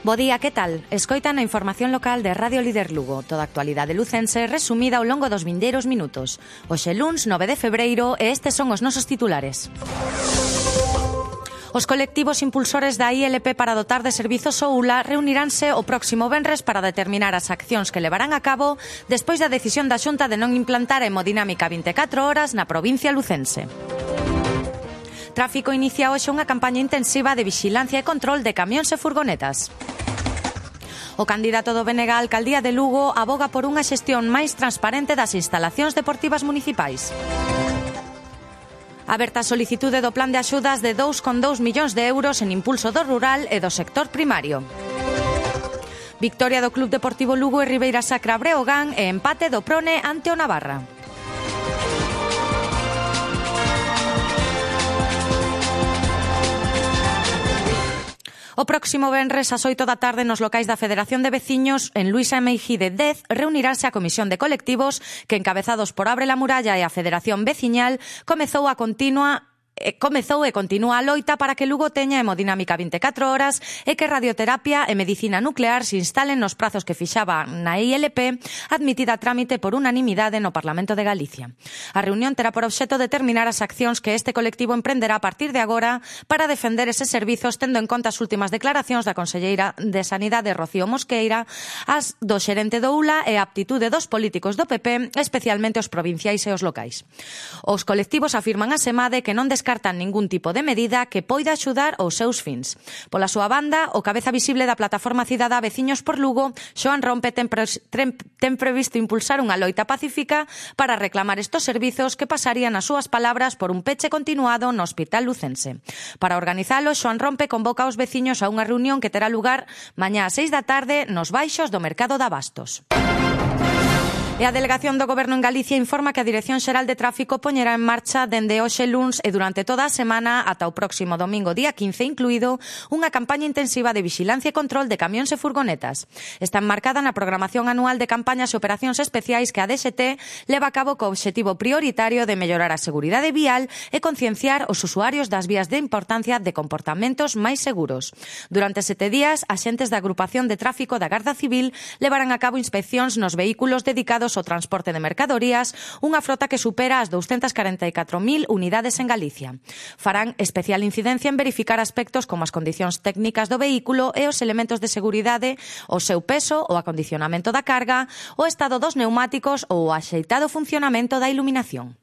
Bo día, que tal? Escoitan a información local de Radio Líder Lugo. Toda a actualidade lucense resumida ao longo dos vindeiros minutos. Hoxe luns 9 de febreiro e estes son os nosos titulares. Os colectivos impulsores da ILP para dotar de servizos o ULA reuniránse o próximo venres para determinar as accións que levarán a cabo despois da decisión da Xunta de non implantar a hemodinámica 24 horas na provincia lucense. Tráfico inicia hoxe unha campaña intensiva de vixilancia e control de camións e furgonetas. O candidato do BNG á alcaldía de Lugo aboga por unha xestión máis transparente das instalacións deportivas municipais. Aberta a solicitude do plan de axudas de 2,2 millóns de euros en impulso do rural e do sector primario. Victoria do Club Deportivo Lugo e Ribeira Sacra Breogán e empate do Prone ante o Navarra. O próximo venres ás 8 da tarde nos locais da Federación de Veciños en Luisa Meijide 10 reuniránse a Comisión de Colectivos que, encabezados por Abre la Muralla e a Federación Veciñal, comezou e continúa a loita para que Lugo teña hemodinámica 24 horas e que radioterapia e medicina nuclear se instalen nos prazos que fixaba na ILP, admitida a trámite por unanimidade no Parlamento de Galicia. A reunión terá por obxecto determinar as accións que este colectivo emprenderá a partir de agora para defender eses servizos, tendo en conta as últimas declaracións da conselleira de Sanidade, Rocío Mosqueira, as do xerente do ULA e a aptitude dos políticos do PP, especialmente os provinciais e os locais. Os colectivos afirman a semade que non descartan ningún tipo de medida que poida axudar aos seus fins. Pola súa banda, o cabeza visible da plataforma cidadá Veciños por Lugo, Xoán Rompe, ten previsto impulsar unha loita pacífica para reclamar estos servizos que pasarían, as súas palabras, por un peche continuado no Hospital Lucense. Para organizalo, Xoán Rompe convoca aos veciños a unha reunión que terá lugar mañá ás 6 da tarde nos baixos do Mercado de Abastos. E a Delegación do Goberno en Galicia informa que a Dirección Xeral de Tráfico poñerá en marcha dende hoxe luns e durante toda a semana ata o próximo domingo día 15 incluído unha campaña intensiva de vixilancia e control de camións e furgonetas. Está enmarcada na programación anual de campañas e operacións especiais que a DXT leva a cabo co obxectivo prioritario de mellorar a seguridade vial e concienciar os usuarios das vías de importancia de comportamentos máis seguros. Durante 7 días, axentes da Agrupación de Tráfico da Garda Civil levarán a cabo inspeccións nos vehículos dedicados o transporte de mercadorías, unha frota que supera as 244.000 unidades en Galicia. Farán especial incidencia en verificar aspectos como as condicións técnicas do vehículo e os elementos de seguridade, o seu peso, o acondicionamento da carga, o estado dos neumáticos ou o axeitado funcionamento da iluminación.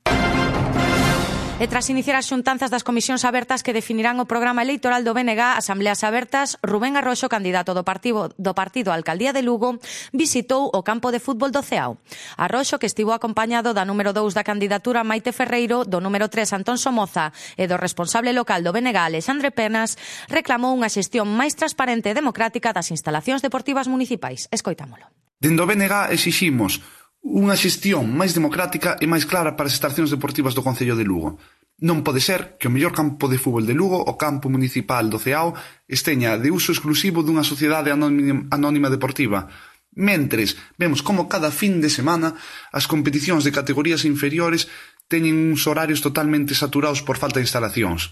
E tras iniciar as xuntanzas das comisións abertas que definirán o programa electoral do BNG, Asambleas Abertas, Rubén Arroxo, candidato do partido á alcaldía de Lugo, visitou o campo de fútbol do Ceao. Arroxo, que estivo acompañado da número 2 da candidatura Maite Ferreiro, do número 3 Antón Somoza e do responsable local do BNG, Alexandre Penas, reclamou unha xestión máis transparente e democrática das instalacións deportivas municipais. Escoitámolo. Dende o BNG exiximos unha xestión máis democrática e máis clara para as instalacións deportivas do Concello de Lugo. Non pode ser que o mellor campo de fútbol de Lugo, o campo municipal do Ceao, esteña de uso exclusivo dunha sociedade anónima deportiva. Mentres, vemos como cada fin de semana as competicións de categorías inferiores teñen uns horarios totalmente saturados por falta de instalacións.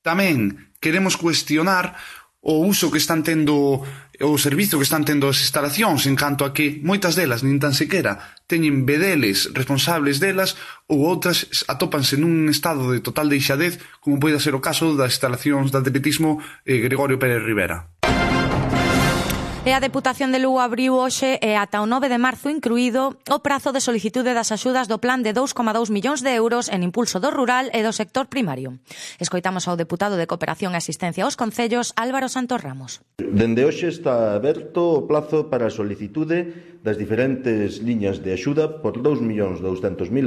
Tamén queremos cuestionar o uso que están tendo, o servizo que están tendo as instalacións, en canto a que moitas delas nin tan sequera teñen vedeles responsables delas ou outras atópanse nun estado de total deixadez, como pode ser o caso das instalacións de atletismo Gregorio Pérez Rivera. E a Deputación de Lugo abriu hoxe e ata o 9 de marzo incluído o prazo de solicitude das axudas do plan de 2,2 millóns de euros en impulso do rural e do sector primario. Escoitamos ao deputado de Cooperación e Asistencia aos Concellos, Álvaro Santos Ramos. Dende hoxe está aberto o plazo para a solicitude das diferentes liñas de axuda por 2.200.000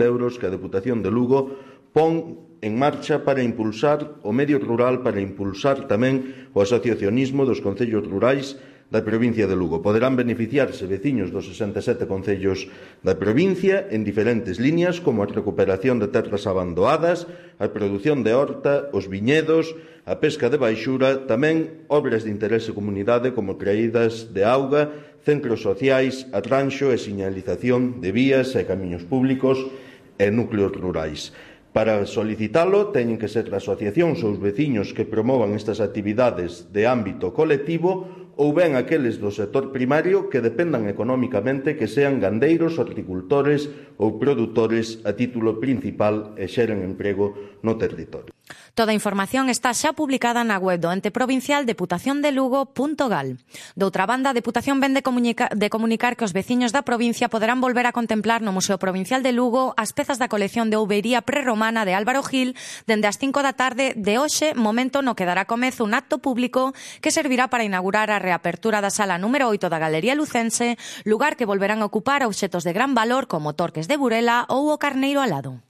euros que a Deputación de Lugo pon en marcha para impulsar o medio rural, para impulsar tamén o asociacionismo dos concellos rurais da provincia de Lugo. Poderán beneficiarse veciños dos 67 concellos da provincia en diferentes líneas como a recuperación de terras abandoadas, a produción de horta, os viñedos, a pesca de baixura, tamén obras de interese comunidade como traídas de auga, centros sociais, atranxo e señalización de vías e camiños públicos e núcleos rurais. Para solicitalo, teñen que ser asociacións ou os veciños que promovan estas actividades de ámbito colectivo ou ben aqueles do sector primario que dependan económicamente, que sean gandeiros, horticultores ou produtores a título principal e xeren emprego no territorio. Toda a información está xa publicada na web do ente provincial deputaciondelugo.gal. Doutra banda, a Deputación ven de comunicar que os veciños da provincia poderán volver a contemplar no Museo Provincial de Lugo as pezas da colección de ouvería prerromana de Álvaro Gil dende as 5 da tarde de hoxe, momento no que dará comezo un acto público que servirá para inaugurar a reapertura da sala número 8 da Galería Lucense, lugar que volverán a ocupar obxetos de gran valor como torques de Burela ou o Carneiro Alado.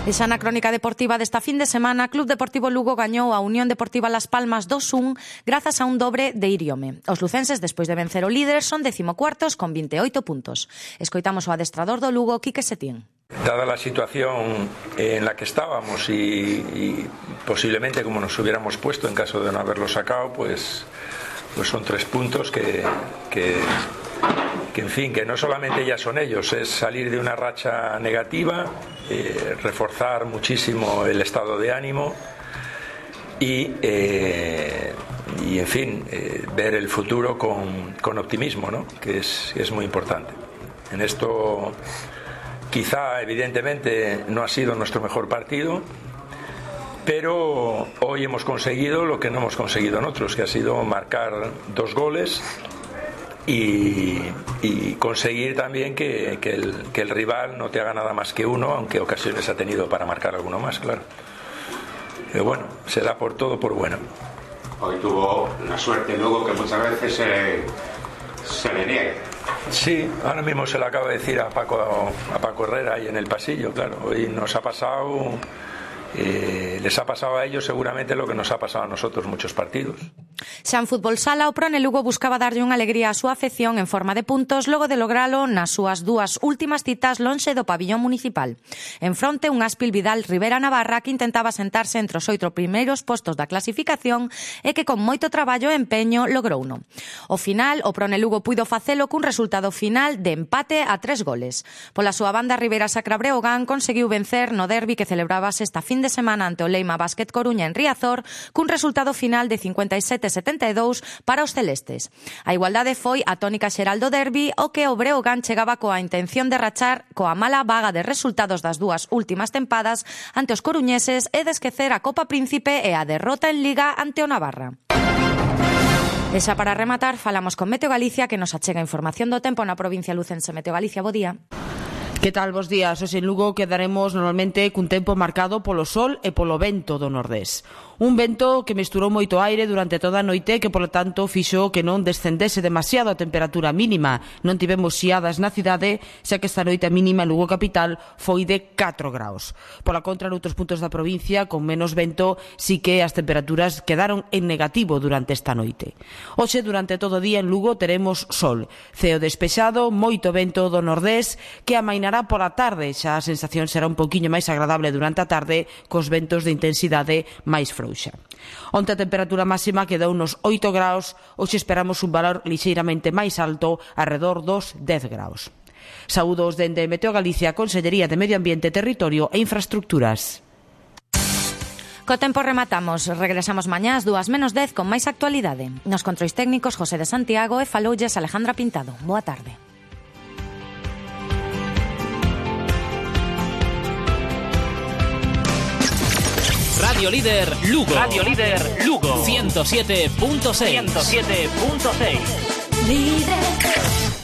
E xa na crónica deportiva desta fin de semana, Club Deportivo Lugo gañou a Unión Deportiva Las Palmas 2-1 grazas a un dobre de Iriome. Os lucenses, despois de vencer o líder, son 14º con 28 puntos. Escoitamos o adestrador do Lugo, Quique Setién. Dada la situación en la que estábamos y posiblemente como nos hubiéramos puesto en caso de no haberlo sacado, pues son 3 puntos que en fin, que no solamente ya son ellos, es salir de una racha negativa, reforzar muchísimo el estado de ánimo y en fin, ver el futuro con optimismo, ¿no? Que es muy importante. En esto quizá evidentemente no ha sido nuestro mejor partido, pero hoy hemos conseguido lo que no hemos conseguido en otros, que ha sido marcar 2 goles y conseguir también que el rival no te haga nada más que uno, aunque ocasiones ha tenido para marcar alguno más, claro. Pero bueno, se da por todo por bueno. Hoy tuvo la suerte luego que muchas veces se le niega. Sí, ahora mismo se lo acabo de decir a Paco Herrera ahí en el pasillo, claro. Hoy nos ha pasado, les ha pasado a ellos seguramente lo que nos ha pasado a nosotros muchos partidos. Xa en fútbol sala, o Prone Lugo buscaba darlle unha alegría á súa afección en forma de puntos logo de logralo nas súas 2 últimas citas lonxe do pabillón municipal. En fronte, un Aspil Vidal Rivera Navarra que intentaba sentarse entre os 8 primeiros postos da clasificación e que con moito traballo e empeño logrouno. Ao final, o Prone Lugo puido facelo cun resultado final de empate a 3 goles. Pola súa banda, Rivera Sacra Breogán conseguiu vencer no derbi que celebrabase esta fin de semana ante o Leima Básquet Coruña en Riazor cun resultado final de 57-72 para os celestes. A igualdade foi a tónica xeral do derbi, o que o Breogán chegaba coa intención de rachar coa mala vaga de resultados das 2 últimas tempadas ante os coruñeses e de esquecer a Copa Príncipe e a derrota en Liga ante o Navarra. E xa para rematar, falamos con Meteo Galicia, que nos achega información do tempo na provincia lucense. Meteo Galicia, bo día. Que tal, bos días? Hoxe en Lugo quedaremos normalmente cun tempo marcado polo sol e polo vento do nordés. Un vento que mesturou moito aire durante toda a noite que, polo tanto, fixo que non descendese demasiado a temperatura mínima. Non tivemos xiadas na cidade, xa que esta noite a mínima en Lugo capital foi de 4 graus. Pola contra, noutros puntos da provincia, con menos vento, sí que as temperaturas quedaron en negativo durante esta noite. Hoxe, durante todo o día en Lugo, teremos sol, ceo despexado, moito vento do nordés, que amainará pola tarde. Xa a sensación será un pouquiño máis agradable durante a tarde, cos ventos de intensidade máis frouxa. Onte a temperatura máxima quedou nos 8 graus, hoxe esperamos un valor lixeiramente máis alto, arredor dos 10 graus. Saúdos dende Meteo Galicia, Consellería de Medio Ambiente, Territorio e Infraestructuras. Co tempo rematamos, regresamos mañá ás 2:10 con máis actualidade. Nos controis técnicos José de Santiago e faloulles Alejandra Pintado. Boa tarde. Radio Líder Lugo. Radio Líder Lugo. 107.6. 107.6. Líder.